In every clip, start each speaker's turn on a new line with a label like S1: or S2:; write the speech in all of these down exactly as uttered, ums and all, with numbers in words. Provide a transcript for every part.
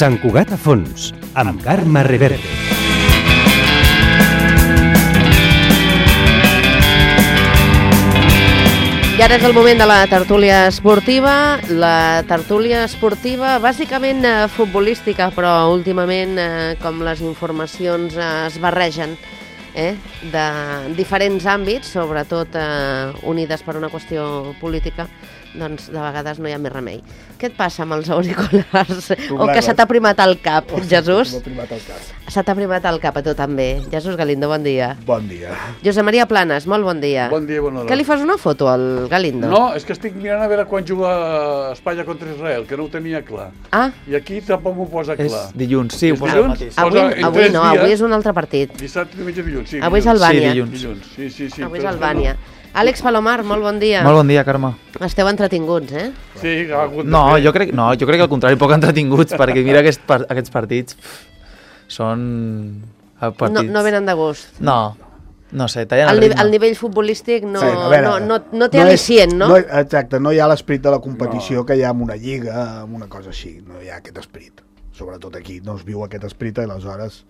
S1: Sant Cugat a fons, amb Carme Reverte.
S2: I ara és el moment de la tertúlia esportiva. La tertúlia esportiva bàsicament eh, futbolística, però últimament eh, com les informacions eh, es barregen eh, de diferents àmbits, sobretot eh, unides per una qüestió política, doncs de vegades no hi ha més remei. Què et passa amb els auriculars? O que se t'ha primat al cap,
S3: oh,
S2: Jesús?
S3: M'ha primat al cap.
S2: Se t'ha primat al cap a tu també. Jesús Galindo, bon dia.
S3: Bon dia.
S2: Josep Maria Planes, molt bon dia.
S4: Bon dia, bona hora.
S2: Què li fas una foto al Galindo?
S4: No, és que estic mirant a veure quan juga Espanya contra Israel, que no ho tenia clar.
S2: Ah.
S4: I aquí tampoc m'ho posa clar.
S5: És dilluns, sí, ho posa el mateix.
S2: Avui, avui no, avui és un altre partit.
S4: Dissabte, diumenge, dilluns, sí.
S2: Avui és Albània.
S5: Sí, dilluns.
S4: dilluns. Sí, sí, sí.
S2: Avui és Albània. Àlex Palomar, molt bon dia.
S5: Molt bon dia, Carme.
S2: Esteu entretinguts, eh?
S4: Sí, ha hagut de
S5: No,
S4: fer.
S5: jo crec, no, jo crec que al contrari, poc entretinguts, perquè mira aquest, par aquests partits pff, són partits...
S2: No, no venen de gust.
S5: No, no sé, tallen
S2: El,
S5: el
S2: ni
S5: ritme.
S2: el nivell futbolístic no,
S3: Sí, a veure,
S2: no, no, no té
S3: no és-
S2: al·licient, no?
S3: no? Exacte, no hi ha l'esperit de la competició no. que hi ha en una lliga, en una cosa així. No hi ha aquest esperit. Sobretot aquí no es viu aquest esperit i aleshores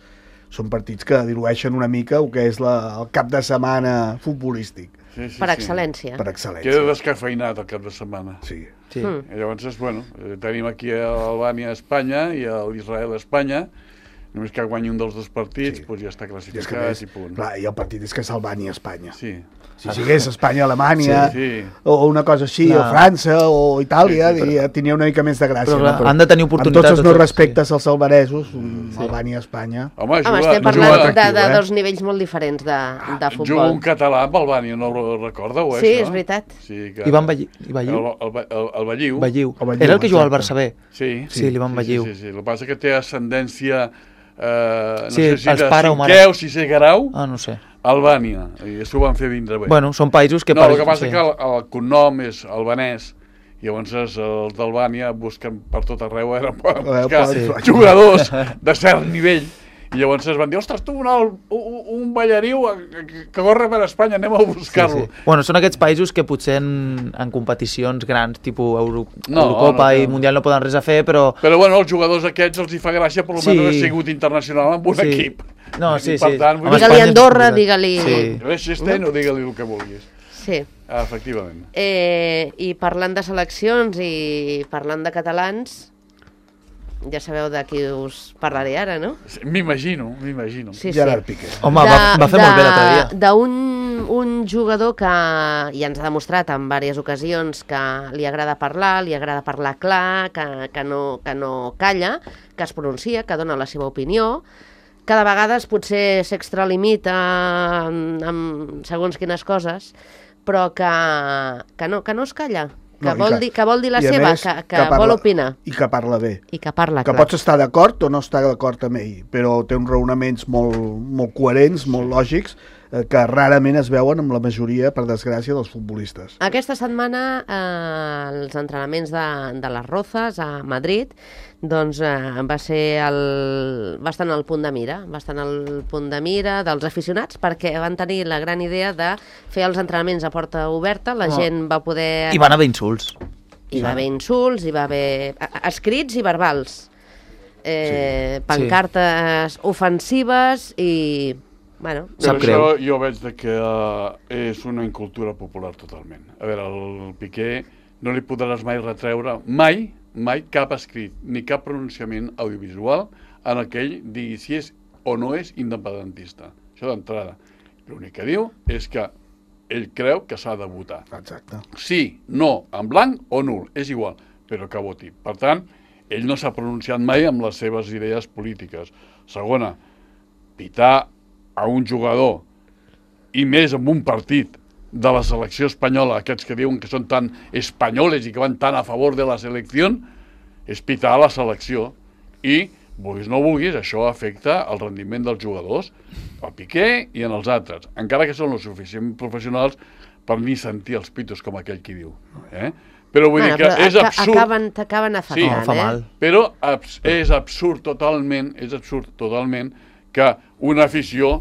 S3: són partits que dilueixen una mica el que és la, el cap de setmana futbolístic.
S4: Sí, sí,
S2: Per
S4: sí.
S2: excel·lència.
S3: Per
S4: Queda
S3: excel·lència.
S4: descafeinat el cap de setmana.
S3: Sí.
S5: Sí.
S2: Mm.
S4: I llavors, bueno, eh, tenim aquí a Albània a Espanya i a l'Israel a Espanya. Només que guanyi un dels dos partits,
S3: Sí.
S4: doncs ja està
S3: I, és que
S4: classificat
S3: més,
S4: i punt.
S3: clar, I el partit és que és Albània-Espanya.
S4: Sí.
S3: Si sigués Espanya-Alemanya,
S4: Sí, sí.
S3: o una cosa així,
S5: Clar.
S3: o França, o Itàlia,
S4: Sí, sí, però-
S3: diria, tenia una mica més de gràcia.
S5: Però, clar,
S3: no?
S5: han de tenir
S3: Amb
S5: oportunitat
S3: tots els meus
S5: tots,
S3: respectes als albanesos, sí. Albània-Espanya...
S4: Home,
S2: Home,
S4: juga,
S2: estem
S4: juga,
S2: parlant de,
S3: atractiu,
S2: de
S3: eh?
S2: dos nivells molt diferents de, de
S4: juga
S2: futbol.
S4: un català amb Albània, no ho recordeu, eh,
S2: Sí,
S4: això?
S2: és veritat.
S4: Sí, que...
S5: Ivan Balliu.
S4: El,
S5: Balliu?
S4: el, el, el Balliu.
S5: Balliu.
S3: El Balliu,
S5: Era el que jugava al
S3: exacte.
S5: Barça B.
S4: Sí,
S5: Sí, l'Ivan Balliu.
S4: Sí, sí, sí. El que passa que té ascendència, eh, no
S5: Sí,
S4: sé si
S5: els
S4: de
S5: pare o mare.
S4: cinquè o sisè grau,
S5: Ah, no sé.
S4: Albània, i això ho van fer vindre bé.
S5: Bueno, són països que...
S4: no, el que passa
S5: sí.
S4: és que el, el cognom és albanès, i llavors els d'Albània busquen per tot arreu, era per buscar
S3: sí.
S4: jugadors de cert nivell, i llavors es van dir, ostres, tu, un, un, un ballariu que, que corre per Espanya, anem a buscar-lo.
S5: Sí, sí. Bueno, són aquests països que potser en, en competicions grans, tipus Euro,
S4: No,
S5: Eurocopa
S4: no,
S5: i
S4: no.
S5: Mundial no poden res a fer, però...
S4: Però bueno, els jugadors aquests els hi fa gràcia, per
S5: Sí.
S4: almenys ha sigut internacional amb un
S5: Sí.
S4: equip.
S5: No,
S4: I
S5: sí,
S4: per
S5: sí.
S4: tant, vull
S5: Home,
S4: dir,
S2: Digue-li
S5: Espanya és
S2: Andorra,
S5: complicat.
S2: digue-li...
S5: Sí.
S4: Liechtenstein o digue-li el que vulguis.
S2: Sí.
S4: Ah, efectivament.
S2: Eh, I parlant de seleccions i parlant de catalans, ja sabeu de qui us parlaré ara, no?
S4: M'imagino, m'imagino.
S2: Sí, sí.
S3: Gerard Piqué.
S5: Home, va, va fer molt bé l'altre dia.
S2: D'un un jugador que ja ens ha demostrat en diverses ocasions que li agrada parlar, li agrada parlar clar, que, que, no, que no calla, que es pronuncia, que dona la seva opinió, que de vegades potser s'extralimita amb, amb segons quines coses, però que, que, no, que no es calla, que,
S3: No, i
S2: vol,
S3: que-
S2: dir, que vol dir la
S3: i a
S2: seva,
S3: més,
S2: que, que,
S3: que parla-
S2: vol opinar
S3: I que parla bé.
S2: i que parla
S3: Que
S2: clar.
S3: pots estar d'acord o no estar d'acord amb ell, però té uns raonaments molt, molt coherents, molt lògics, eh, que rarament es veuen amb la majoria, per desgràcia, dels futbolistes.
S2: Aquesta setmana eh, els entrenaments de, de les Rozas a Madrid doncs, eh, va ser el, va estar en el punt de mira, va estar en el punt de mira dels aficionats perquè van tenir la gran idea de fer els entrenaments a porta oberta, la
S5: Oh.
S2: gent va poder...
S5: I van haver insults.
S2: Hi va haver insults, hi va haver a- a- escrits i verbals, eh,
S5: Sí.
S2: pancartes ofensives i... Bueno,
S5: Sap
S4: Però
S5: greu.
S4: això jo veig de que uh, és una incultura popular totalment. A veure, el Piqué no li podràs mai retreure, mai, mai cap escrit, ni cap pronunciament audiovisual en el que ell digui si és o no és independentista. Això d'entrada. L'únic que diu és que ell creu que s'ha de votar.
S3: Exacte.
S4: Sí, no, en blanc o nul, és igual, però que voti. Per tant, ell no s'ha pronunciat mai amb les seves idees polítiques. Segona, pitar a un jugador, i més en un partit de la selecció espanyola, aquests que diuen que són tan espanyoles i que van tan a favor de la selecció, és pitar a la selecció. I, vulguis no vulguis, això afecta el rendiment dels jugadors, al Piqué i en els altres, encara que són los suficientment professionals per ni sentir els pitos com aquell qui diu. Eh? Però vull
S2: bueno,
S4: dir que
S2: però
S4: és
S2: aca-
S4: absurd...
S2: acaben, t'acaben afectant,
S4: Sí,
S5: No, fa
S2: eh?
S5: mal.
S4: Però abs és absurd totalment, és absurd totalment que una afició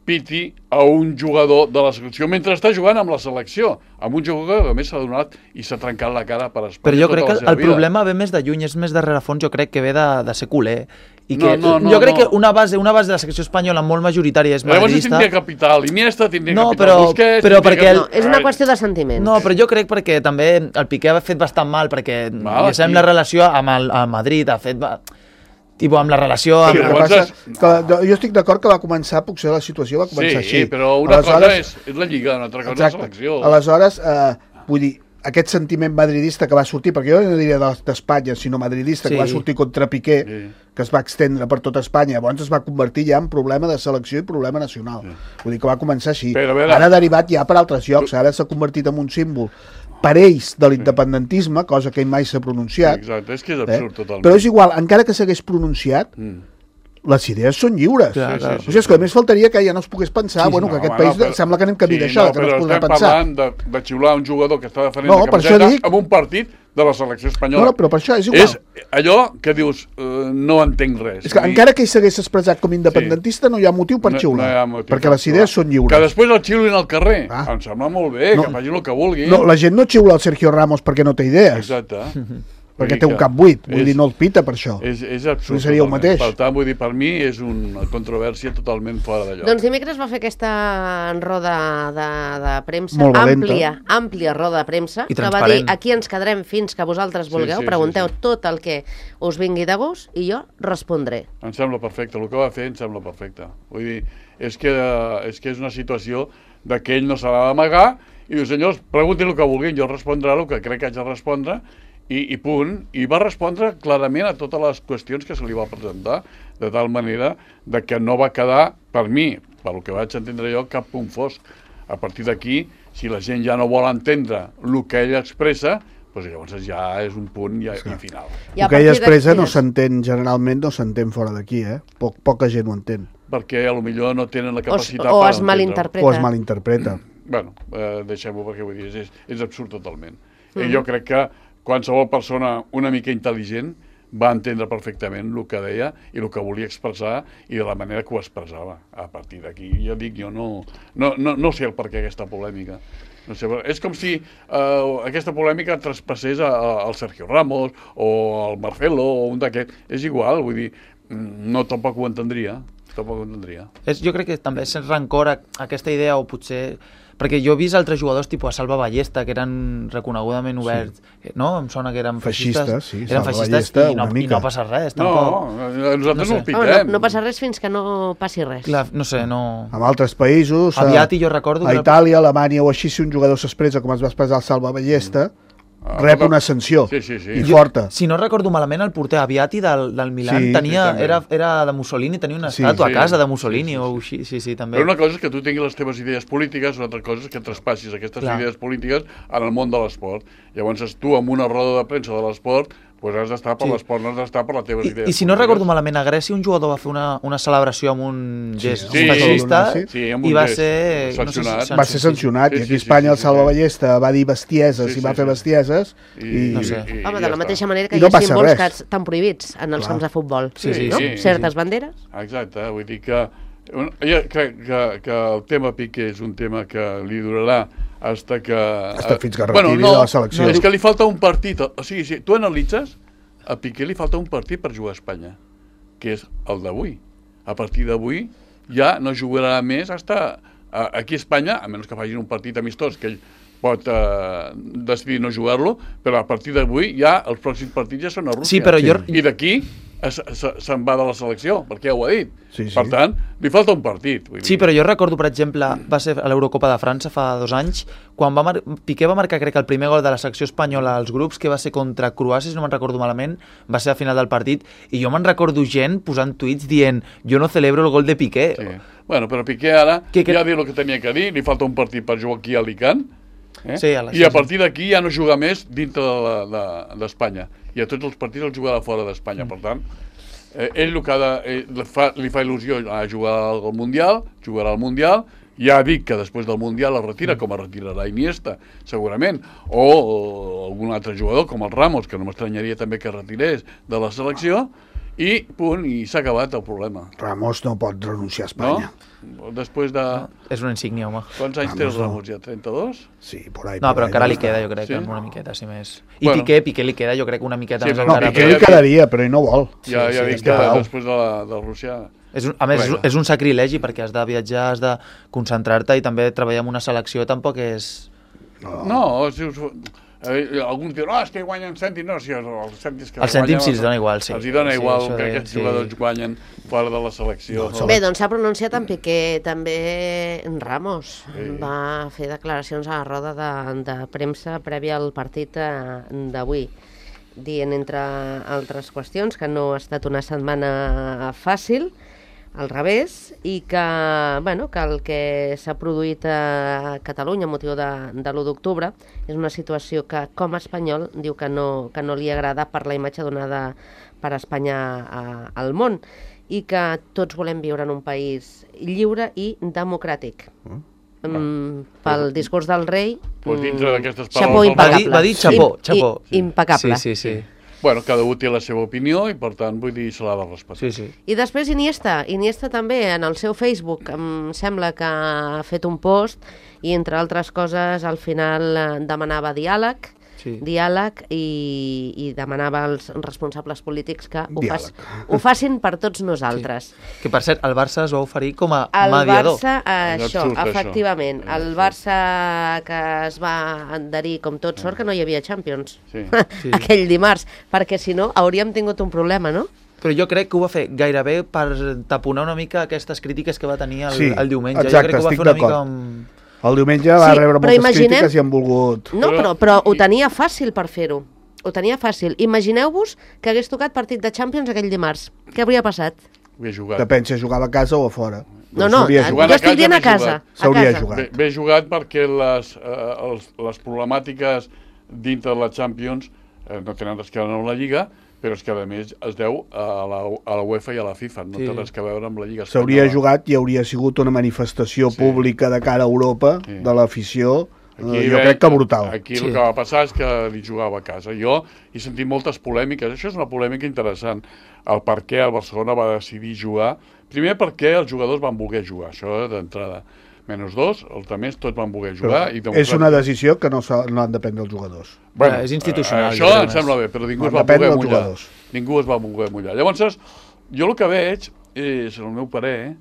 S4: piti a un jugador de la selecció mentre està jugant amb la selecció, amb un jugador que a més s'ha donat i s'ha trencat la cara per Espanya.
S5: Però jo
S4: tota
S5: crec
S4: la
S5: que
S4: seva
S5: el
S4: vida.
S5: problema ve més de lluny, és més de rerefons, jo crec que ve de, de ser culer. I
S4: No,
S5: que,
S4: no, no,
S5: jo crec
S4: no.
S5: que una base, una base de la secció espanyola molt majoritària és
S4: Llavors
S5: madridista.
S4: tindria capital, Iniesta tindria
S5: No,
S4: capital,
S5: però-
S4: Busquets...
S5: però
S4: tindria
S5: perquè
S4: capital-
S2: No, és una qüestió de sentiments.
S5: No, però jo crec perquè també el Piqué ha fet bastant mal, perquè
S4: Mal,
S5: ja sabem
S4: sí.
S5: la relació amb el amb Madrid, ha fet... ba- Tipo, amb la relació... Amb...
S3: El que
S4: llavors
S3: passa,
S4: és-
S3: que jo estic d'acord que va començar, potser la situació va començar
S4: Sí,
S3: així.
S4: però una
S3: Aleshores-
S4: cosa és, és la Lliga, una altra cosa és la
S3: Exacte.
S4: selecció.
S3: Aleshores, eh, vull dir, aquest sentiment madridista que va sortir, perquè jo no diria de- d'Espanya, sinó madridista,
S5: Sí.
S3: que va sortir contra Piqué,
S4: Sí.
S3: que es va extendre per tota Espanya, llavors es va convertir ja en problema de selecció i problema nacional. Vull dir que va començar així.
S4: Però, a veure-
S3: Ara ha derivat ja per altres llocs, ara s'ha convertit en un símbol per ells de l'independentisme, cosa que ell mai s'ha pronunciat.
S4: Exacte, és que és
S3: eh?
S4: absurd totalment.
S3: Però és igual, encara que s'hagués pronunciat,
S4: Mm.
S3: les idees són lliures.
S5: Clar, clar.
S3: O sigui, és que només faltaria que ja no es pogués pensar,
S5: Sí,
S3: bueno,
S5: sí,
S3: que
S4: No,
S3: aquest
S4: home,
S3: país
S4: no, però-
S3: sembla que anem camí
S4: sí,
S3: d'això,
S4: no,
S3: que no es
S4: però
S3: podrà
S4: estem
S3: pensar.
S4: parlant de, de xiular un jugador que està defendent
S3: No,
S4: la
S3: per això
S4: camiseta
S3: dic-
S4: amb un partit de la selecció espanyola.
S3: No, no, però per això és igual.
S4: És allò que dius, uh, no entenc res.
S3: És que
S4: Vull dir,
S3: encara que ell s'hagués expressat com independentista, no hi ha motiu per
S4: no-
S3: xiular,
S4: no hi ha motiu
S3: perquè
S4: per
S3: les
S4: xiular.
S3: idees són lliures.
S4: Que després el xiulin al carrer.
S3: Ah.
S4: Em sembla molt bé,
S3: No.
S4: que facin el que vulguin.
S3: No, la gent no xiula el Sergio Ramos perquè no té idees,
S4: Exacte. Vull
S3: perquè
S4: dir
S3: té un
S4: que
S3: cap buit, vull
S4: és-
S3: dir, no el pita per això.
S4: És, és absurd.
S3: No seria el
S4: totalment.
S3: mateix.
S4: Per tant, vull dir, per mi és una controvèrsia totalment fora de lloc.
S2: Doncs dimecres va fer aquesta roda de, de premsa,
S3: Molt valenta.
S2: àmplia, àmplia roda de premsa,
S5: I
S2: que va dir,
S5: transparent.
S2: aquí ens quedarem fins que vosaltres
S4: Sí,
S2: vulgueu,
S4: sí,
S2: pregunteu
S4: sí, sí.
S2: tot el que us vingui de gust i jo respondré.
S4: Em sembla perfecte, el que va fer em sembla perfecte. Vull dir, és que, eh, és que és una situació de que ell no s'ha d'amagar i diu, senyors, preguntin el que vulguin, jo respondré el que crec que haig de respondre i, i punt. I va respondre clarament a totes les qüestions que se li va presentar, de tal manera de que no va quedar, per mi, pel que vaig entendre jo, cap punt fosc. A partir d'aquí, si la gent ja no vol entendre el que ell expressa, doncs llavors ja és un punt ja, i final.
S2: I a
S3: El que ell
S2: partir
S3: expressa
S2: d'aquí-
S3: no s'entén, generalment no s'entén fora d'aquí, eh? Poc, poca gent ho entén,
S4: Perquè a lo millor no tenen la
S2: O,
S4: capacitat
S2: o
S4: per
S2: es
S4: entendre-ho.
S2: malinterpreta.
S3: o es malinterpreta.
S4: Bueno, eh, deixem-ho perquè vull dir, és, és absurd totalment. Mm. I jo crec que qualsevol persona una mica intel·ligent va entendre perfectament el que deia i el que volia expressar i de la manera que ho expressava. A partir d'aquí, ja dic, jo no, no, no, no sé el per què aquesta polèmica. No sé, és com si eh, aquesta polèmica traspassés a, a, al Sergio Ramos o al Marcelo o un d'aquests. És igual, vull dir, no tampoc ho entendria. Tampoc ho entendria.
S5: És, jo crec que també és rancor a, a aquesta idea, o potser... Perquè jo he vist altres jugadors, tipus a Salva Ballesta, que eren reconegudament oberts, sí. no? Em sona que eren feixistes.
S3: Feixistes, sí,
S5: eren
S3: Salva
S5: feixistes
S3: Ballesta,
S5: i, no,
S3: una
S5: i
S3: mica.
S5: no passa res,
S4: No,
S5: tampoc.
S4: nosaltres
S5: No
S4: no,
S5: sé.
S4: el pitem.
S2: Home, no, no passa res fins que no passi res.
S5: Clar, no sé, no...
S3: En altres països, a,
S5: Aviat, i jo recordo...
S3: a
S5: que-
S3: Itàlia, Alemanya o així, si un jugador s'expressa com es va expressar el Salva Ballesta,
S4: Ah,
S3: rep
S4: però-
S3: una sanció,
S4: Sí, sí, sí.
S3: i
S5: Jo-
S3: forta.
S5: Si no recordo malament, el porter Aviati del, del Milan
S3: Sí,
S5: tenia,
S4: sí, també.
S5: era, era de Mussolini, tenia una
S3: Sí,
S5: estàtua
S4: sí,
S5: a casa de
S4: sí,
S5: Mussolini
S4: sí, sí,
S5: o així, sí, sí, també.
S4: Però una cosa és que tu tinguis les teves idees polítiques, una altra cosa és que traspassis aquestes
S5: Clar.
S4: idees polítiques en el món de l'esport. Llavors tu, amb una roda de premsa de l'esport, pues has d'estar per
S5: Sí.
S4: l'esport, no has d'estar per les teves
S5: I,
S4: idees
S5: I si no
S4: polítiques.
S5: recordo malament, a Grècia un jugador va fer una, una celebració amb un gest
S4: sí,
S5: feixista
S3: sí,
S4: sí, amb
S5: i
S4: un
S5: va
S4: gest
S5: ser...
S4: sancionat.
S3: Va ser sancionat,
S4: Sí,
S3: i
S4: sí,
S3: aquí a
S4: sí,
S3: Espanya
S4: sí,
S3: el Salva
S4: sí.
S3: Ballesta va dir bestieses
S4: Sí,
S3: i va
S4: sí,
S3: fer
S4: sí.
S3: bestieses,
S4: I,
S3: i...
S5: No sé.
S4: i, i
S2: Home,
S4: ja
S2: de la
S4: està.
S2: mateixa manera que
S3: I
S2: hi
S3: no
S2: ha
S3: passa
S2: símbols
S3: res.
S2: que estan prohibits en els
S3: Clar.
S2: camps de futbol.
S5: Sí, sí,
S2: no?
S4: sí,
S2: Certes
S5: sí.
S2: banderes.
S4: Exacte, vull dir que un- jo crec que, que el tema Piqué és un tema que li durarà hasta que...
S3: Hasta fins que
S4: bueno,
S3: retiri
S4: no,
S3: de la selecció.
S4: No, és que li falta un partit. O sigui, si tu analitzes, a Piqué li falta un partit per jugar a Espanya, que és el d'avui. A partir d'avui ja no jugarà més hasta a, aquí a Espanya, a menys que facin un partit amistós, que ell pot eh, decidir no jugar-lo, però a partir d'avui ja els pròxims partits ja són a Rússia.
S5: Sí, però jo-
S4: I d'aquí es- se- se'n va de la selecció, perquè ja ho ha dit.
S3: Sí, sí.
S4: Per tant, li falta un partit. Vull dir.
S5: Sí, però jo recordo, per exemple, va ser a l'Eurocopa de França fa dos anys, quan va mar... Piqué va marcar, crec que el primer gol de la secció espanyola als grups, que va ser contra Croàcia, si no me'n recordo malament, va ser a final del partit, i jo me'n recordo gent posant tuits dient jo no celebro el gol de Piqué.
S4: Sí. Bueno, però Piqué ara
S5: Que- que-
S4: ja ha dit el que tenia que dir, li falta un partit per jugar aquí a Alicant, eh?
S5: Sí, a la-
S4: i a
S5: sí, sí.
S4: partir d'aquí ja no juga més dintre d'Espanya. De, de, I a tots els partits els jugarà fora d'Espanya. Mm. Per tant, eh, ell, el que ha de, eh, li, fa, li fa il·lusió a jugar al Mundial, jugarà al Mundial, ja ha dit que després del Mundial es retira, com es retirarà Iniesta, segurament, o, o algun altre jugador, com el Ramos, que no m'estranyaria també que es retirés de la selecció, I punt, i s'ha acabat el problema.
S3: Ramos no pot renunciar a Espanya.
S4: No? Després de...
S5: És una insígnia, home.
S4: Quants anys té el Ramos ja? trenta-dos?
S3: Sí, por ahí.
S5: No,
S3: por
S5: però
S3: ahí,
S5: encara
S3: no
S5: li
S3: està.
S5: queda, jo crec,
S4: Sí?
S5: sí? Una miqueta, si més. I
S4: Bueno.
S5: Piqué, Piqué li queda, jo crec, una miqueta
S4: Sí,
S5: més
S4: però
S3: No,
S5: encara.
S3: Piqué
S4: Piqué-
S3: li quedaria, però ell no vol.
S4: Ja, ja
S3: sí,
S4: dic
S3: sí,
S4: que
S3: Palau.
S4: després de, la, de Rússia...
S5: És un, a més, és,
S4: Bueno.
S5: un- és un sacrilegi perquè has de viatjar, has de concentrar-te i també treballar en una selecció tampoc és...
S4: No, si us... Eh, alguns diuen, no, és que guanyen cèntims, no, si els cèntims que
S5: Els cèntims sí els dona igual, sí.
S4: Els hi dona
S5: Sí,
S4: igual
S5: això
S4: que
S5: de-
S4: aquests
S5: sí.
S4: jugadors guanyen fora de la selecció.
S3: No,
S2: Bé, doncs s'ha pronunciat en Piqué, també en Ramos.
S4: Sí.
S2: Va fer declaracions a la roda de, de premsa prèvia al partit eh, d'avui, dient, entre altres qüestions, que no ha estat una setmana fàcil, al revés, i que, bueno, que el que s'ha produït a Catalunya a motiu de, de l'u d'octubre és una situació que, com a espanyol, diu que no, que no li agrada per la imatge donada per Espanya a, al món, i que tots volem viure en un país lliure i democràtic. Mm, pel discurs del rei,
S4: Pues dintre
S2: mm,
S4: d'aquestes
S2: xapó
S4: paraules-
S5: Va dir,
S2: impecable.
S5: va dir xapó,
S2: I-
S5: xapó.
S2: i- impecable.
S5: Sí, sí, sí.
S4: Bueno, cada un té la seva opinió i, per tant, vull dir, se l'ha de respectar.
S5: sí, sí.
S2: I després Iniesta, Iniesta també en el seu Facebook em sembla que ha fet un post i entre altres coses al final eh, demanava diàleg,
S5: Sí.
S2: diàleg i, i demanava als responsables polítics que ho,
S3: Diàleg.
S2: fas, ho facin per tots nosaltres.
S5: Que, per cert, el Barça es va oferir com a
S2: El
S5: mediador.
S2: Barça, eh,
S4: És
S2: això,
S4: absurd, això.
S2: efectivament,
S4: És
S2: el Barça que es va adherir com tot sort que no hi havia Champions
S4: Sí.
S5: Sí.
S2: aquell dimarts, perquè si no hauríem tingut un problema, no?
S5: Però jo crec que ho va fer gairebé per taponar una mica aquestes crítiques que va tenir el,
S3: Sí,
S5: el diumenge.
S3: exacte,
S5: jo crec que ho va
S3: estic
S5: fer una mica
S3: d'acord.
S5: amb...
S3: El diumenge va
S2: Sí,
S3: rebre
S2: però
S3: moltes
S2: imaginem-
S3: crítiques i han volgut...
S2: No,
S4: Però-
S2: però, però ho tenia fàcil per fer-ho. Ho tenia fàcil. Imagineu-vos que hagués tocat partit de Champions aquell dimarts. Què hauria passat?
S4: Ho he jugat.
S3: Depèn si jugava a casa o a fora.
S2: No, no,
S3: S'hauria
S2: jo
S4: jugat.
S3: jugat.
S2: estic dient a
S4: ben
S2: casa.
S4: jugat.
S2: A
S3: S'hauria
S2: casa.
S3: jugat.
S4: Bé, bé jugat perquè les, eh, els, les problemàtiques dintre de la Champions eh, no tenen res que veure amb la Lliga, però és que a més es deu a la, a la UEFA i a la FIFA, no
S5: Sí.
S4: té res que veure amb la Lliga
S3: S'hauria
S4: espanyola.
S3: jugat i hauria sigut una manifestació
S4: Sí.
S3: pública de cara a Europa,
S4: Sí.
S3: de l'afició, eh, jo
S4: ve-
S3: crec que brutal.
S4: Aquí
S5: Sí.
S4: el que va passar és que li jugava a casa. Jo he sentit moltes polèmiques. Això és una polèmica interessant. El per què el Barcelona va decidir jugar. Primer, perquè els jugadors van voler jugar. Això d'entrada. Menys dos, els altres tots van voler jugar.
S3: Però
S4: i
S3: és
S4: democràtic-
S3: una decisió que no, s'ha- no han de prendre els jugadors.
S4: Bueno,
S5: És institucional,
S4: eh,
S5: jo
S4: això
S5: crec
S4: em
S5: més.
S4: sembla bé, però ningú
S3: No,
S4: es va
S3: depèn
S4: voler
S3: dels
S4: mullar.
S3: jugadors.
S4: Ningú es va voler mullar. Llavors, jo el que veig, és, el meu parer,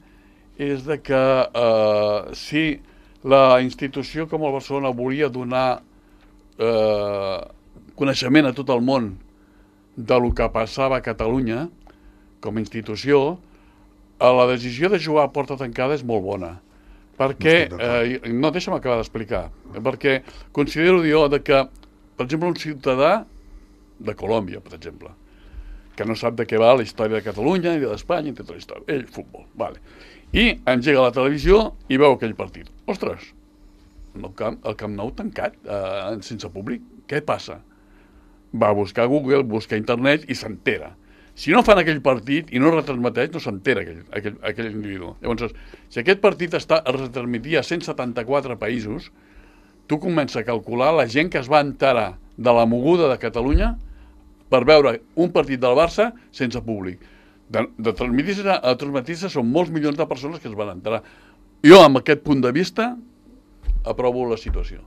S4: és de que eh, si la institució com el Barcelona volia donar eh, coneixement a tot el món de lo que passava a Catalunya com a institució, eh, la decisió de jugar a porta tancada és molt bona. Perquè,
S3: No estic d'acord.
S4: eh, no, deixa'm acabar d'explicar, perquè considero jo de que, per exemple, un ciutadà de Colòmbia, per exemple, que no sap de què va la història de Catalunya ni d'Espanya, ni tota la història, ell, futbol, vale. I engega la televisió i veu aquell partit. Ostres, el camp, el camp Nou tancat, eh, sense públic, què passa? Va a buscar a Google, busca a internet i s'entera. Si no fan aquell partit i no retransmeteix, no s'entera aquell, aquell, aquell individu. Llavors, si aquest partit està es retransmetia a cent setanta-quatre països, tu comences a calcular la gent que es va enterar de la moguda de Catalunya per veure un partit del Barça sense públic. De, de transmetir-se a transmetir-se són molts milions de persones que es van enterar. Jo, amb aquest punt de vista, aprovo la situació.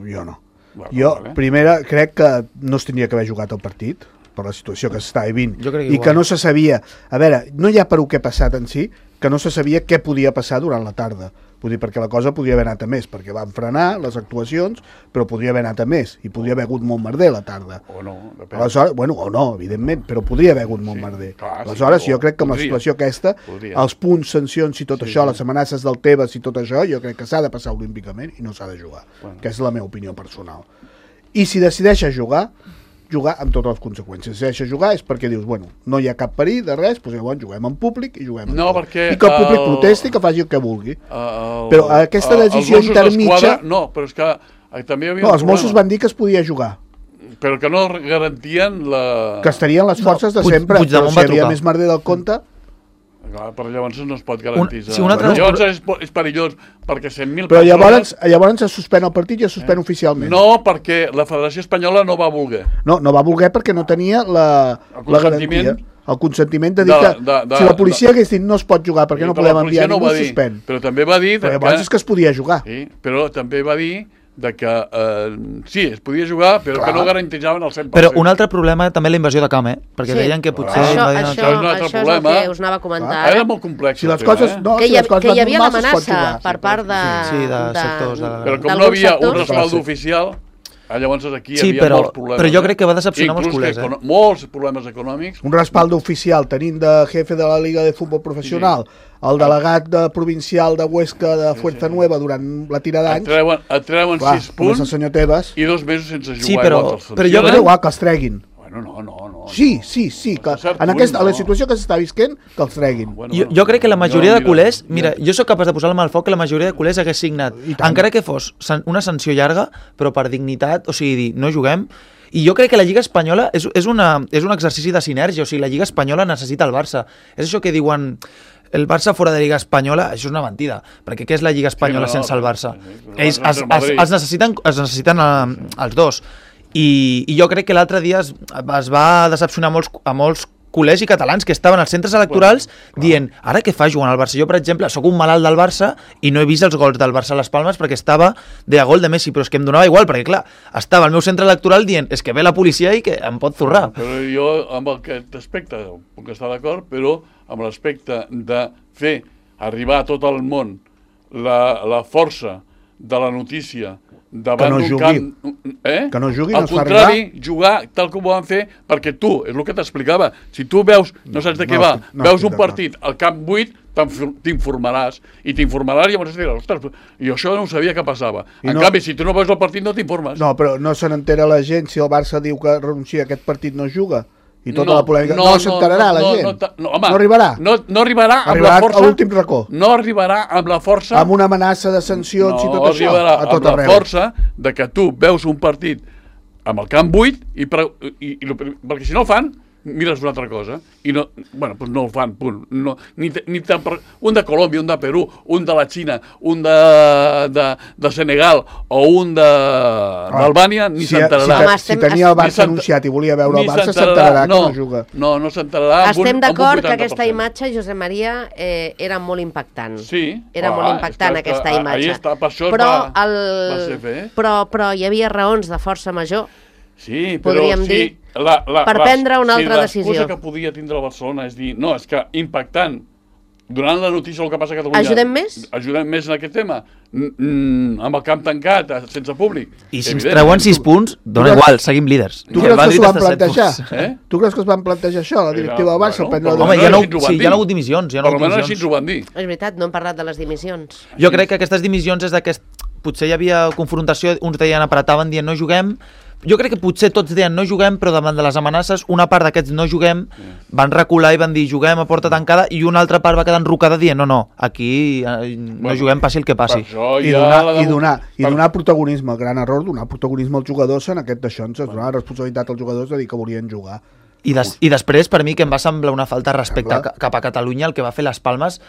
S3: Jo no.
S4: Vale,
S3: Jo,
S4: vale.
S3: primera, crec que no es tindria que haver jugat el partit per la situació que s'està vivint
S5: Jo crec
S3: i
S5: igual.
S3: que no se sabia, a veure, no hi ha per què ha passat en si, que no se sabia què podia passar durant la tarda. Vull dir, perquè la cosa podria haver anat a més, perquè van frenar les actuacions, però podria haver anat a més, i podria haver hagut molt merder la tarda.
S4: O no, depèn.
S3: Aleshores, bueno, o no, evidentment, però podria haver hagut molt
S4: Sí,
S3: merder.
S4: clar, sí,
S3: Aleshores,
S4: o
S3: jo crec que amb la
S4: podria.
S3: situació aquesta,
S4: Podria.
S3: els punts, sancions i tot
S4: Sí,
S3: això,
S4: sí.
S3: les amenaces del Tebas i tot això, jo crec que s'ha de passar olímpicament i no s'ha de jugar,
S4: Bueno.
S3: que és la meva opinió personal. I si decideixes jugar, jugar amb totes les conseqüències. Si decideixes jugar és perquè dius, bueno, no hi ha cap perill de res, doncs llavors juguem en públic i juguem en
S4: No,
S3: tot.
S4: perquè
S3: I que el públic
S4: el-
S3: protesti, que faci el que vulgui.
S4: El,
S3: Però aquesta
S4: el-
S3: decisió
S4: els Mossos
S3: intermitja-
S4: d'Esquadra- No, però és que eh, també hi havia
S3: No,
S4: un
S3: els Mossos
S4: problema,
S3: van dir que es podia jugar,
S4: però que no garantien la...
S3: que estarien les forces de
S5: Puig-
S3: sempre,
S5: Puigdemont
S3: però si
S5: va
S3: hi havia
S5: trucar.
S3: més merder del compte...
S4: Clar, però llavors no es pot garantir.
S5: Un- sí, un altre-
S4: Llavors és, és perillós, perquè cent mil
S3: Però
S4: persones...
S3: llavors, llavors es suspèn el partit i es suspèn oficialment.
S4: No, perquè la Federació Espanyola no va voler.
S3: No, no va voler perquè no tenia la,
S4: El
S3: la
S4: consentiment
S3: garantia. el consentiment de dir
S4: De-
S3: que
S4: de- de-
S3: si la policia hagués dit no es pot jugar perquè no
S4: Però
S3: podem
S4: la policia
S3: enviar
S4: no ho
S3: ningú,
S4: va dir,
S3: suspèn.
S4: Però també va dir...
S3: Però
S4: que,
S3: llavors és que es podia jugar.
S4: sí, però també va dir de que eh, sí, es podia jugar, però
S3: Clar.
S4: que no garantitzaven el cent per cent.
S5: Però un altre problema també la invasió de camp, eh? Perquè
S2: Sí.
S5: deien que potser...
S2: Això,
S5: invadien el
S2: això,
S4: Això és un altre
S2: això és el
S4: problema.
S2: que us anava a comentar
S3: Clar.
S2: ara.
S4: Era molt complex.
S3: Si
S4: el
S3: les
S4: tema,
S3: coses
S4: eh?
S3: no,
S2: que
S3: si
S2: hi, ha,
S3: les coses
S2: que hi
S3: van
S2: havia
S3: normals, es pot
S2: l'amenaça
S3: jugar.
S2: per part de...
S5: Sí, de sectors de la-
S4: Però com
S2: d'alguns
S4: no havia un
S2: sectors.
S4: respaldo
S3: Sí.
S4: oficial, ah, llavors aquí hi
S5: Sí,
S4: havia
S5: però-
S4: molts problemes.
S5: però jo
S4: eh?
S5: crec que va decepcionar molts
S4: Inclús
S5: culers,
S4: que
S5: eh?
S4: econo- Molts problemes econòmics.
S3: Un respaldo oficial tenint de jefe de la Liga de Futbol Professional el delegat de provincial de Huesca de Fuerza Nueva durant la tira
S4: Et
S3: d'anys,
S4: treuen, et treuen
S3: clar,
S4: sis
S3: com és el
S4: punts
S3: senyor Tebas,
S4: i dos mesos sense jugar.
S5: Sí, però-
S4: igual que els
S5: però jo
S3: jo
S4: sancionen.
S3: crec igual que els treguin.
S4: Bueno, no, no, no.
S3: Sí,
S4: no.
S3: sí, sí, que
S4: A cert
S3: en,
S4: punt,
S3: aquesta, a la
S4: no.
S3: situació que s'està visquent, que els treguin.
S4: Bueno,
S5: Jo,
S4: bueno,
S5: jo crec que la majoria
S4: jo,
S5: de culers, mira,
S4: jo-
S5: jo sóc capaç de posar la mà al foc que la majoria de culers hagués signat,
S3: I tant.
S5: encara que fos san- una sanció llarga, però per dignitat, o sigui, dir, no juguem. I jo crec que la Lliga Espanyola és, és, una, és un exercici de sinergia, o sigui, la Lliga Espanyola necessita el Barça. És això que diuen el Barça fora de Lliga Espanyola, això és una mentida, perquè què és la Lliga Espanyola
S4: Sí, no,
S5: sense el
S4: però-
S5: Barça?
S4: sí, però
S5: Ells
S4: el Barça
S5: es,
S4: és el
S5: es,
S4: Madrid.
S5: es necessiten, es necessiten eh, els dos. I, I jo crec que l'altre dia es, es va decepcionar molts, a molts culers i catalans que estaven als centres electorals dient, ara què fa jugant al Barça? Jo, per exemple, sóc un malalt del Barça i no he vist els gols del Barça a les Palmes perquè estava de a gol de Messi, però és que em donava igual, perquè clar, estava al meu centre electoral dient, és que ve la policia i que em pot zurrar.
S4: Però jo amb aquest aspecte puc estar d'acord, però amb l'aspecte de fer arribar a tot el món la, la força de la notícia davant
S3: Que no
S4: d'un
S3: jugui.
S4: camp... Eh?
S3: Que no jugui, no
S4: Al
S3: es fa
S4: contrari, jugar tal com ho van fer, perquè tu, és el que t'explicava, si tu veus, no saps de què
S3: no
S4: va,
S3: estic- no
S4: veus
S3: estic
S4: un
S3: d'acord.
S4: partit al camp buit, t'infor- t'informaràs, i t'informaràs i llavors diràs, ostres, i això no ho sabia que passava.
S3: I
S4: En
S3: no-
S4: canvi, si tu no veus el partit, no t'informes.
S3: No, però no se n'entera la gent si el Barça diu que renuncia a aquest partit no juga i tota
S4: No,
S3: la polèmica. No,
S4: no,
S3: no s'enterarà
S4: no,
S3: la
S4: no,
S3: gent.
S4: no, ta- no, home,
S3: no arribarà.
S4: No, no arribarà amb
S3: Arribarà
S4: la força...
S3: a l'últim racó.
S4: No arribarà amb la força...
S3: Amb una amenaça de sancions i
S4: no
S3: tot això.
S4: arribarà
S3: A tot
S4: amb la
S3: arreu.
S4: força de que tu veus un partit amb el camp buit i, pre- i, i, i perquè si no el fan, mires una altra cosa i no, bueno, doncs no el fan, punt. No, ni, te- ni tan, per- un de Colòmbia, un de Perú, un de la Xina, un de, de, de Senegal o un de d'Albània, ni
S3: si,
S4: s'enterarà.
S3: Si,
S2: Home,
S3: si,
S2: estem-
S3: tenia el
S4: ni
S3: Barça
S4: s'ent-
S3: anunciat i volia veure el
S4: ni
S3: Barça,
S4: s'enterarà.
S3: s'enterarà que
S4: no,
S3: no juga.
S4: No, no s'enterarà. amb un-
S2: Estem
S4: amb un
S2: d'acord que
S4: vuitanta per
S2: aquesta
S4: cent.
S2: imatge, Josep Maria, eh, era molt impactant.
S4: Sí.
S2: Era
S4: Ah,
S2: molt impactant
S4: és que-
S2: aquesta
S4: ah,
S2: imatge.
S4: ahí està, per això es
S2: però,
S4: va-
S2: el...
S4: va ser fer.
S2: però, però hi havia raons de força major.
S4: Sí, però
S2: podríem
S4: sí,
S2: dir,
S4: la, la,
S2: per
S4: les-
S2: prendre una altra
S4: si
S2: decisió.
S4: l'excusa que podia tindre el Barcelona és dir, no, és que impactant, donant la notícia del que passa a Catalunya...
S2: Ajudem més?
S4: Ajudem més en aquest tema, mm, mm, amb el camp tancat, eh, sense públic.
S5: I si ens
S4: Evident.
S5: treuen sis punts, dona
S3: Tu creus-
S5: igual, seguim líders.
S3: Tu
S5: El
S3: creus que
S5: Madrid
S3: s'ho van
S5: està a set
S3: plantejar?
S5: punts.
S4: Eh?
S3: Tu creus que es van plantejar això, la directiva del Barça?
S4: Bueno,
S3: prendre
S4: per
S3: la
S5: Home,
S4: almenys
S5: ja no,
S4: així ens ho van
S5: sí,
S4: dir.
S5: ja no ha hagut dimissions. Ja no
S4: Per
S5: ha hagut
S4: almenys així
S5: dimissions.
S4: ens ho van dir.
S2: És veritat, no hem parlat de les dimissions.
S5: Jo crec que aquestes dimissions és d'aquest... Potser hi havia confrontació, uns deien apretaven dient no juguem. Jo crec que potser tots deien no juguem, però davant de les amenaces, una part d'aquests no juguem van recular i van dir juguem a porta tancada i una altra part va quedar enrocada dient no, no, aquí eh, no
S4: Bueno,
S5: juguem, passi el que passi.
S4: Per això
S3: I
S4: hi ha
S3: donar,
S4: la
S3: i,
S4: demo-
S3: donar, i
S4: per-
S3: donar protagonisme, el gran error, donar protagonisme als jugadors en aquest d'això, ens donar responsabilitat als jugadors de dir que volien jugar.
S5: I, des, I després, per mi, que em va semblar una falta de respecte
S3: Sembla.
S5: ca- cap a Catalunya, el que va fer les Palmes,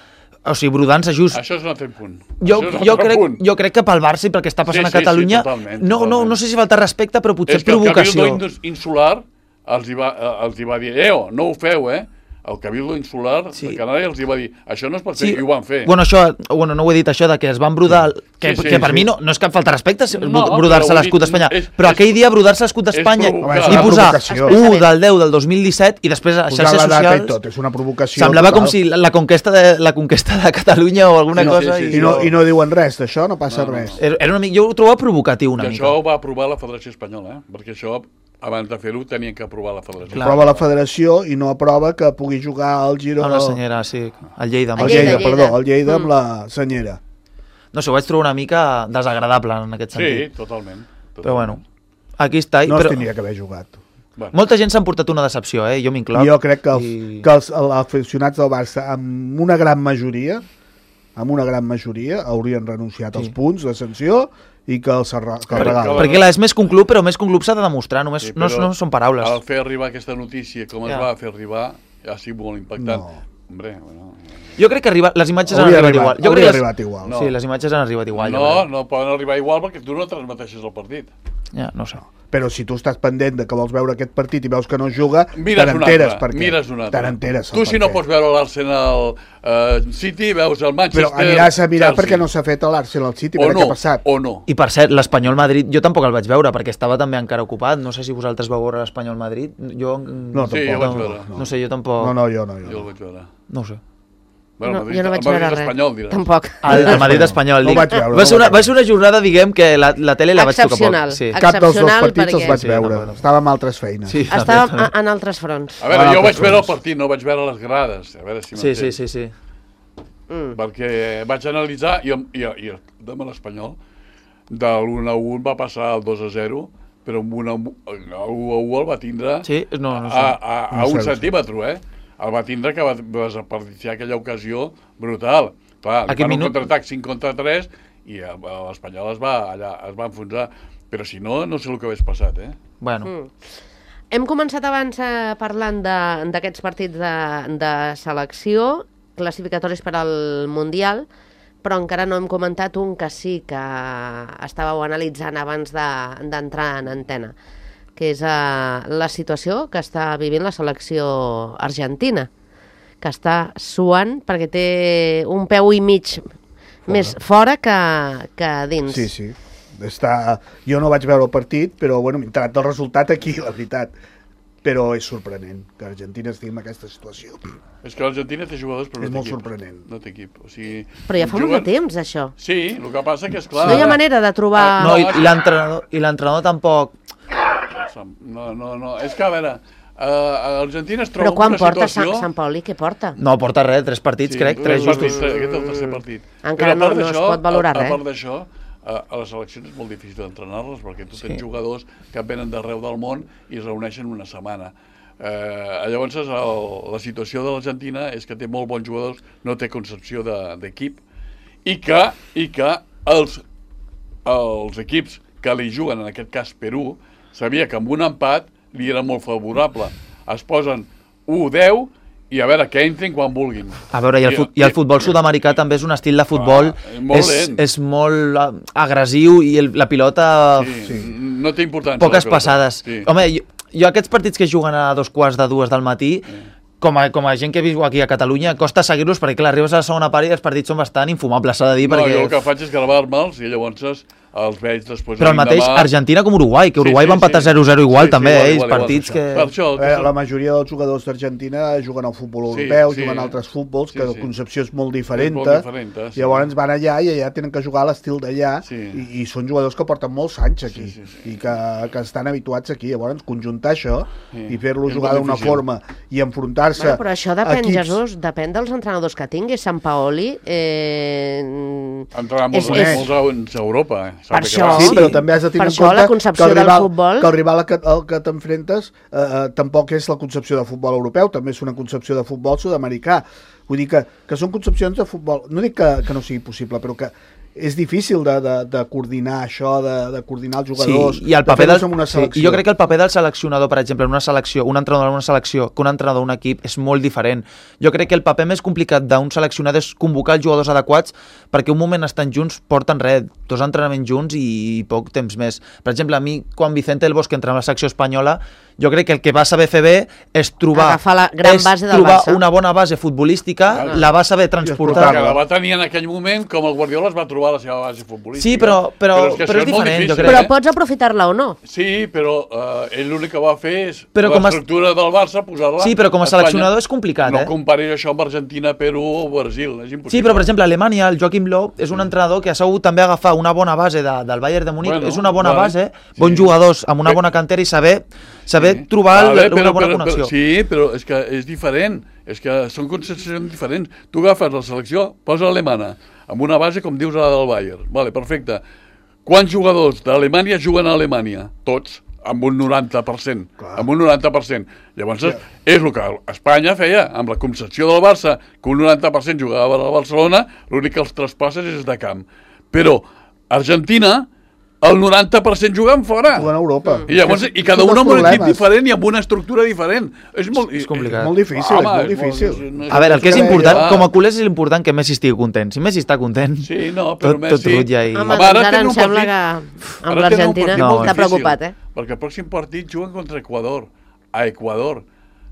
S5: o sigui, brodant-se just...
S4: Això és un altre punt.
S5: Jo,
S4: Això és un
S5: jo,
S4: altre
S5: crec,
S4: punt.
S5: jo crec que pel Barça i pel que està passant
S4: Sí,
S5: a
S4: sí, sí,
S5: Catalunya
S4: totalment,
S5: no, no,
S4: totalment.
S5: no sé si falta respecte, però potser
S4: És que el
S5: provocació.
S4: Cabildo Indus- Insular els hi, va, eh, els hi va dir, eo, no ho feu, eh? El Cabildo Insular
S5: Sí.
S4: de Canària els hi va dir, això no es pot fer,
S5: Sí,
S4: i ho van fer.
S5: Bueno, això, bueno, no ho he dit això, de que es van brodar, que,
S4: Sí, sí,
S5: que per
S4: sí.
S5: mi no, no és cap falta de respecte
S4: No,
S5: brodar-se
S4: però ho he
S5: l'escut
S4: dit,
S5: d'Espanya,
S4: és-
S5: però
S4: és-
S5: aquell dia brodar-se l'escut d'Espanya
S4: provocar.
S5: i
S3: Home, és una
S5: posar
S3: provocació.
S5: u del deu del dos mil disset i després a
S3: Posar
S5: xarxes
S3: la data i
S5: socials
S3: tot, és una provocació.
S5: semblava com
S3: total.
S5: si la, la, conquesta de, la conquesta de Catalunya o alguna
S4: Sí,
S5: cosa
S4: sí, sí,
S5: i...
S4: sí.
S3: I no, I no diuen res d'això, no passa
S4: No, no,
S3: res.
S4: no.
S5: Era era una, mica- jo ho trobava provocatiu una
S4: I
S5: mica.
S4: això ho va aprovar la Federació Espanyola, eh? Perquè això, abans de fer-ho, tenien que aprovar la Federació.
S5: Clar.
S3: Aprova la federació i no aprova que pugui jugar al Girona.
S5: Amb la senyera, sí, el Lleida. amb
S3: El
S5: el
S3: Lleida,
S2: Lleida.
S3: perdó, el Lleida amb
S2: Mm.
S3: la senyera.
S5: No sé, ho vaig trobar una mica desagradable en aquest
S4: Sí,
S5: sentit.
S4: totalment. totalment.
S5: Però bueno, aquí està. I,
S3: No es
S5: però
S3: tindria que haver jugat.
S4: Bueno,
S5: molta gent s'ha emportat una decepció, eh? Jo m'incloc.
S3: Jo crec que els,
S5: I-
S3: que els, els aficionats del Barça, amb una gran majoria, amb una gran majoria, haurien renunciat
S5: Sí.
S3: als punts de sanció i que els arra- que el
S4: Perquè-
S3: regalen.
S4: que-
S5: Perquè clar, és més que un club, però més que un club s'ha de demostrar, només
S4: sí,
S5: no,
S4: però
S5: no són paraules.
S4: Al fer arribar aquesta notícia, com es
S5: Ja.
S4: va fer arribar, ha sigut molt impactant.
S3: No.
S4: Hombre, bueno,
S5: Jo crec que arriba, les imatges han
S3: Hauria
S5: arribat
S3: arribat,
S5: igual. Jo
S3: hauria
S5: crec que les,
S3: arribat igual.
S4: No.
S5: Sí, les imatges han arribat igual. jo
S4: no,
S5: crec.
S4: no poden arribar igual perquè tu no transmeteixes el partit.
S5: Ja, no sé.
S3: Però si tu estàs pendent de que vols veure aquest partit i veus que no es juga,
S4: Mires
S3: te
S4: un
S3: n'enteres
S4: altre,
S3: per què.
S4: mires un altre.
S3: Te n'enteres.
S4: Tu, si no pots veure l'Arsenal uh, City, veus el Manchester...
S3: Però aniràs a mirar
S4: Chelsea.
S3: perquè no s'ha fet l'Arsenal City,
S4: o
S3: veure
S4: no,
S3: què ha passat.
S4: o no.
S5: I per cert, l'Espanyol Madrid, jo tampoc el vaig veure, perquè estava també encara ocupat. No sé si vosaltres vau veure l'Espanyol Madrid. Jo,
S3: No,
S4: Sí, jo
S3: tampoc.
S4: vaig veure.
S5: No, no sé, jo tampoc...
S3: No, no, jo no. Jo
S4: Jo el
S3: no.
S4: vaig veure.
S5: No ho sé.
S4: Bueno,
S2: No,
S4: Madrid,
S2: jo no vaig
S4: el Madrid
S2: veure res.
S4: espanyol, diràs.
S2: Tampoc.
S5: El, el Madrid espanyol.
S3: No
S5: dic.
S3: vaig veure,
S5: va,
S3: no
S5: ser una,
S3: vaig
S5: va ser una jornada, diguem, que la, la tele la vaig tocar poc.
S2: Excepcional.
S5: Sí.
S3: Cap dels dos
S2: Excepcional
S3: partits els
S2: perquè-
S3: vaig
S5: Sí,
S3: veure.
S5: no, no.
S3: Estava amb altres feines.
S5: Sí,
S2: Estàvem
S5: també, també.
S2: en altres fronts.
S4: A veure,
S3: Ah,
S4: jo vaig
S3: altres
S4: veure el
S3: fronts.
S4: partit, no vaig veure les grades. A veure si
S5: Sí, sí,
S4: m'entens.
S5: sí, sí.
S2: Mm.
S4: Perquè vaig analitzar i, i, i demà l'Espanyol de l'u a u va passar al dos a zero, però amb un a u el va tindre
S5: Sí? No, no sé.
S4: a, a, a
S3: No
S4: un
S3: sé, no sé.
S4: centímetre, eh? El va tindre que va desaperdiciar aquella ocasió brutal. Clar, li
S5: Aquest
S4: fan un
S5: minut-
S4: contraatac cinc contra tres i eh, l'Espanyol es va, allà, es va enfonsar. Però si no, no sé el que hagués passat, eh?
S5: Bueno,
S2: Mm. Hem començat abans eh, parlant de- d'aquests partits de, de selecció, classificatoris per al Mundial, però encara no hem comentat un que sí que estàveu analitzant abans de- d'entrar en antena, que és eh, la situació que està vivint la selecció argentina, que està suant perquè té un peu i mig més fora que, que dins.
S3: Sí, sí. Està... Jo no vaig veure el partit, però bueno, m'he enterat del resultat aquí, la veritat. Però és sorprenent que Argentina estigui en aquesta situació.
S4: És que l'Argentina té jugadors però
S3: És
S4: no té
S3: molt
S4: equip.
S3: sorprenent.
S4: No té equip. O sigui,
S2: Però ja fa molt
S4: juguen-
S2: de temps, això.
S4: Sí, el que passa que és clar...
S2: No hi ha manera de trobar...
S5: no, i, i l'entrenador i l'entrenador tampoc...
S4: No, no, no. És que, a veure, uh, Argentina es troba
S2: Però quan
S4: en una
S2: porta
S4: situació...
S2: Sant, Sant Paoli, què porta?
S5: No porta res, tres partits,
S4: Sí,
S5: crec, tres
S4: tres
S5: justos.
S4: partits, Aquest és el tercer partit.
S2: Encara
S4: Però a part
S2: no- no es
S4: d'això,
S2: pot valorar
S4: a,
S2: res.
S4: A part d'això, a, a les seleccions és molt difícil d'entrenar-les perquè tu tens
S5: Sí.
S4: jugadors que venen d'arreu del món i es reuneixen una setmana. Eh, llavors, el, la situació de l'Argentina és que té molt bons jugadors, no té concepció d'equip, de, i que, i que els, els equips que li juguen, en aquest cas Perú, sabia que amb un empat li era molt favorable. Es posen u deu i a veure, que entrin quan vulguin.
S5: A veure, i el, fut, i el futbol sud-americà també és un estil de futbol,
S4: Ah, molt
S5: és,
S4: lent.
S5: és molt ah, agressiu i el, la pilota...
S4: Sí, sí. No té importància.
S5: Poques
S4: la pilota.
S5: passades.
S4: Sí.
S5: Home, jo, jo aquests partits que juguen a dos quarts de dues del matí, com a, com a gent que viu aquí a Catalunya, costa seguir-los perquè, clar, arribes a la segona part i els partits són bastant infumables, s'ha de dir,
S4: No,
S5: perquè...
S4: jo el que faig és gravar-me'ls i llavors els veig després...
S5: Però el mateix
S4: l'endemà.
S5: Argentina com Uruguai, que Uruguai
S4: Sí, sí,
S5: va empatar
S4: sí.
S5: zero zero igual
S4: Sí, sí,
S5: també,
S4: igual,
S5: eh?
S4: igual,
S5: partits
S4: igual.
S5: que...
S4: Per això,
S3: Eh,
S4: que
S3: la majoria dels jugadors d'Argentina juguen al futbol
S4: Sí,
S3: europeu,
S4: sí.
S3: juguen a altres futbols,
S4: Sí,
S3: que
S4: sí.
S3: la concepció és molt diferent.
S4: molt diferent, sí.
S3: Llavors van allà i allà tenen que jugar a l'estil d'allà
S4: Sí.
S3: i, i són jugadors que porten molts anys aquí
S4: Sí, sí, sí.
S3: i que, que estan habituats aquí. Llavors conjuntar això
S4: Sí.
S3: i fer-lo
S4: És
S3: jugar
S4: molt
S3: d'una
S4: difícil.
S3: forma i enfrontar-se
S2: Bueno, però això depèn,
S3: equips...
S2: Jesús, depèn dels entrenadors que tingui. Sant Paoli... Eh...
S4: Entrar molts,
S2: és-
S3: és-
S4: molts anys a Europa. Eh?
S2: Per
S4: Sabe que
S2: això-
S4: va.
S3: Sí,
S2: Sí.
S3: però també has de tenir
S2: Per
S3: en
S2: això
S3: compte
S2: la concepció
S3: que el
S2: del
S3: rival,
S2: futbol-
S3: que el rival al que, al que t'enfrentes eh, eh, tampoc és la concepció de futbol europeu, també és una concepció de futbol sud-americà. Vull dir que, que són concepcions de futbol... No dic que, que no sigui possible, però que és difícil de, de, de coordinar això, de, de coordinar els jugadors,
S5: Sí, i el
S3: de
S5: paper
S3: fer-los
S5: del,
S3: en una
S5: sí,
S3: selecció.
S5: i jo crec que el paper del seleccionador, per exemple, en una selecció, un entrenador en una selecció, que un entrenador en un equip, és molt diferent. Jo crec que el paper més complicat d'un seleccionador és convocar els jugadors adequats perquè un moment estan junts, porten res, dos entrenaments junts i poc temps més. Per exemple, a mi, quan Vicente del Bosque entra en la secció espanyola, jo crec que el que va saber fer bé és trobar,
S2: Agafar la gran
S5: és
S2: base del
S5: trobar
S2: Barça.
S5: una bona base futbolística,
S4: Ah.
S5: la va saber transportar.
S4: Que la va tenir en aquell moment com el Guardiola es va trobar la seva base futbolística.
S5: Sí, però- però-
S4: que
S5: però
S4: això
S5: és
S4: molt
S5: diferent, jo
S4: difícil,
S5: crec.
S2: Però
S4: eh?
S2: pots aprofitar-la o no?
S4: Sí, però uh, ell l'únic que va fer és
S5: Però com a-
S4: l'estructura del Barça, posar-la
S5: Sí, però com a
S4: Espanya.
S5: seleccionador és complicat,
S4: no
S5: eh?
S4: No comparis això amb Argentina, Perú o Brasil, és impossible.
S5: Sí, però per exemple, a Alemanya, el Joachim Löw és un entrenador que ha sabut també agafar una bona base de, del Bayern de Múnich,
S4: Bueno,
S5: és una bona
S4: vale,
S5: base,
S4: sí.
S5: bons jugadors amb una
S4: Bé.
S5: bona cantera i saber, saber
S4: Sí.
S5: trobar
S4: Vale,
S5: el, una
S4: però-
S5: bona
S4: però-
S5: connexió.
S4: Però, sí, però és que és diferent, és que són concepcions diferents. Tu agafes la selecció, posa l'alemana, amb una base, com dius, la del Bayern. Vale, perfecte. Quants jugadors d'Alemanya juguen a Alemanya? Tots, amb un noranta per cent.
S3: Clar.
S4: Amb un noranta per cent. Llavors, és el que Espanya feia, amb la concepció del Barça, que un noranta per cent jugava a Barcelona, l'únic que els traspasses és de camp. Però Argentina el noranta per cent jugant fora.
S3: Jugant a Europa.
S4: I llavors, i cada un amb un equip diferent i amb una estructura diferent. És molt,
S5: És complicat.
S3: Molt difícil,
S4: Home,
S3: és molt
S4: és
S3: difícil.
S4: molt- no és-
S5: A veure, el que és
S3: Ja,
S5: important,
S4: ja.
S5: com a culers és important que Messi estigui content. Si Messi està content,
S4: Sí, no, però
S5: tot,
S4: Messi...
S5: tot rutlla i...
S2: Home,
S4: Home,
S2: doncs
S4: ara
S2: ara
S4: tenen
S2: em
S4: un
S2: sembla
S4: partit-
S2: que
S4: Ara
S2: amb
S4: tenen un
S2: l'Argentina
S4: partit
S5: molt
S2: està
S4: difícil,
S2: preocupat, eh?
S4: Perquè el pròxim partit juguen contra Equador. A Equador.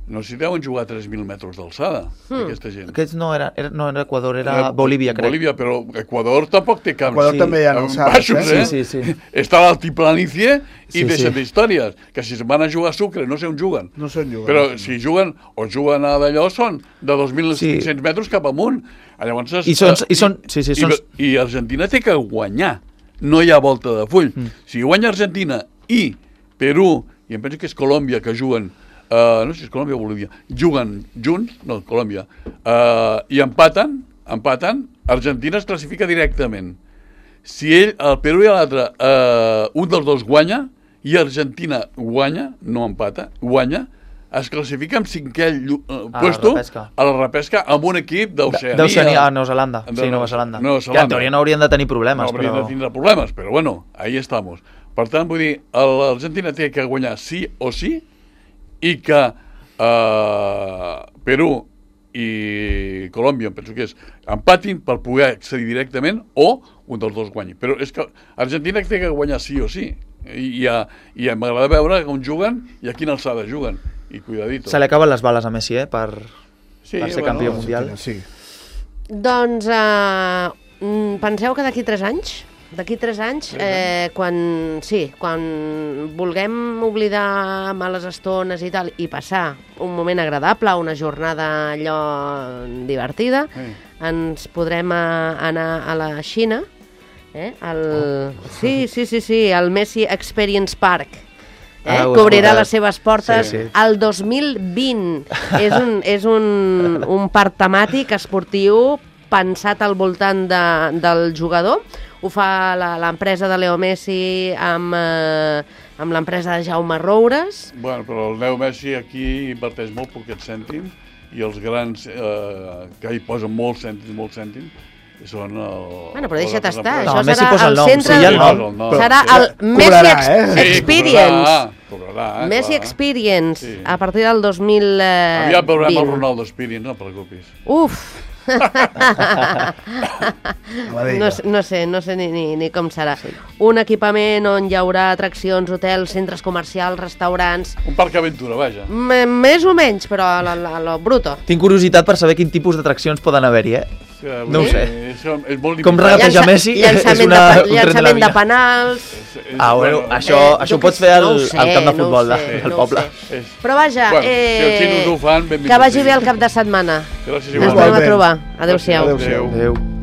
S4: No s'hi deuen jugar a tres mil metres d'alçada,
S2: Hmm.
S4: aquesta gent.
S5: Aquests no era, era, no era Equador, era Bolívia, crec.
S4: Bolívia, però Equador tampoc té camps.
S3: Equador
S5: Sí.
S3: també hi ha alçades,
S4: Baixos,
S3: eh?
S4: eh?
S5: Sí, sí, sí.
S4: Està a l'altiplanicie i
S5: Sí,
S4: deixen
S5: sí.
S4: d'històries. Que si se'n van a jugar a Sucre, no sé on juguen.
S3: No sé on juguen.
S4: Però si juguen, o juguen a d'allò, són de dos mil cinc-cents
S5: Sí.
S4: metres cap amunt. Llavors, es-
S5: I són- i són- sí, sí, són-
S4: I, I Argentina té que guanyar. No hi ha volta de full. Mm. Si guanya Argentina i Perú, i em penso que és Colòmbia, que juguen, uh, no sé si és Colòmbia o Bolívia, juguen junts, no, Colòmbia, uh, i empaten, empaten, Argentina es classifica directament. Si ell, el Perú i l'altre, uh, un dels dos guanya, i Argentina guanya, no empata, guanya, es classifica amb cinquè llu- uh,
S5: A la
S4: puesto
S5: repesca.
S4: a la repesca amb un equip d'Oceania.
S5: D'Oceania a Nova Zelanda.
S4: De-
S5: Sí, Nova Zelanda.
S4: Nova
S5: Que
S4: Zelanda.
S5: en teoria no haurien de tenir problemes,
S4: No hauríem
S5: però...
S4: de tindre problemes, però bueno, ahí estamos. Per tant, vull dir, l'Argentina té que guanyar sí o sí i que eh, Perú i Colòmbia, em penso que és, empatin per poder accedir directament o un dels dos guanyi. Però és que Argentina té que guanyar sí o sí. I, i, a- i m'agrada veure on juguen i a quina alçada juguen. I cuidadito.
S5: Se li acaben les bales a Messi, eh, per,
S4: Sí,
S5: per ser
S4: bueno,
S5: campió
S4: sí,
S5: mundial.
S3: Sí.
S2: Doncs uh, penseu que d'aquí tres anys, d'aquí tres anys, eh, quan, sí, quan vulguem oblidar males estones i tal, i passar un moment agradable, una jornada allò divertida,
S4: Sí.
S2: ens podrem uh, anar a la Xina, eh, al, sí, sí, sí, sí, al Messi Experience Park, eh,
S5: Ah, ho he
S2: cobrirà
S5: escoltat.
S2: les seves portes
S5: Sí, sí.
S2: el dos mil vint. És un, és un, un parc temàtic esportiu pensat al voltant de, del jugador. Ho fa la- l'empresa de Leo Messi amb, eh, amb l'empresa de Jaume Roures.
S4: Bueno, però el Leo Messi aquí inverteix molt poquets cèntims i els grans eh, que hi posen molts cèntims, molts cèntims, són el...
S2: Bueno, però deixa't
S4: les
S2: estar,
S4: empreses.
S5: No,
S2: això
S5: Messi
S2: serà
S5: posa el
S2: el
S5: nom,
S2: centre...
S5: sí, hi ha el nom.
S4: El nom.
S2: Serà
S4: Sí.
S2: el Messi
S3: Cobrarà,
S2: Ex
S3: eh?
S4: Sí,
S2: Experience.
S4: Cobrarà, cobrarà, eh,
S2: Messi
S4: clar.
S2: Experience,
S4: Sí.
S2: a partir del dos mil vint.
S4: Aviat veurem el Ronaldo Experience, no et preocupis.
S2: Uf!
S3: A la
S2: No,
S3: Vega.
S2: sé- no sé, no sé ni, ni, ni com serà. Un equipament on hi haurà atraccions, hotels, centres comercials, restaurants...
S4: Un parc aventura, vaja.
S2: M més o menys, però a lo, a lo bruto.
S5: Tinc curiositat per saber quin tipus d'atraccions poden haver-hi, eh?
S4: Que, vull
S5: No ho
S4: dir,
S5: sé.
S4: És, és molt
S5: Com
S4: limitat.
S5: regatejar Messi
S2: llançament,
S5: és una-
S2: de, pa-
S5: un tren de la
S2: llançament de
S5: vida.
S2: penals...
S4: És- és-
S5: Ah, bueno, això,
S2: Eh,
S5: això
S2: jo
S5: ho pots
S2: que
S5: fer
S2: sé,
S5: al,
S2: no ho sé,
S5: al camp de
S2: no ho
S5: futbol de,
S2: sé,
S5: del
S2: no ho
S5: poble.
S2: sé.
S4: és-
S2: Però vaja,
S4: Bueno, si els xinos
S2: eh,
S4: ho fan, benvinguts
S2: que vagi
S4: siguin.
S2: bé el cap de setmana.
S4: Gràcies
S2: Ens
S4: igualment.
S2: tornem a trobar. Adéu-siau.
S3: Adéu-siau.
S5: Adéu.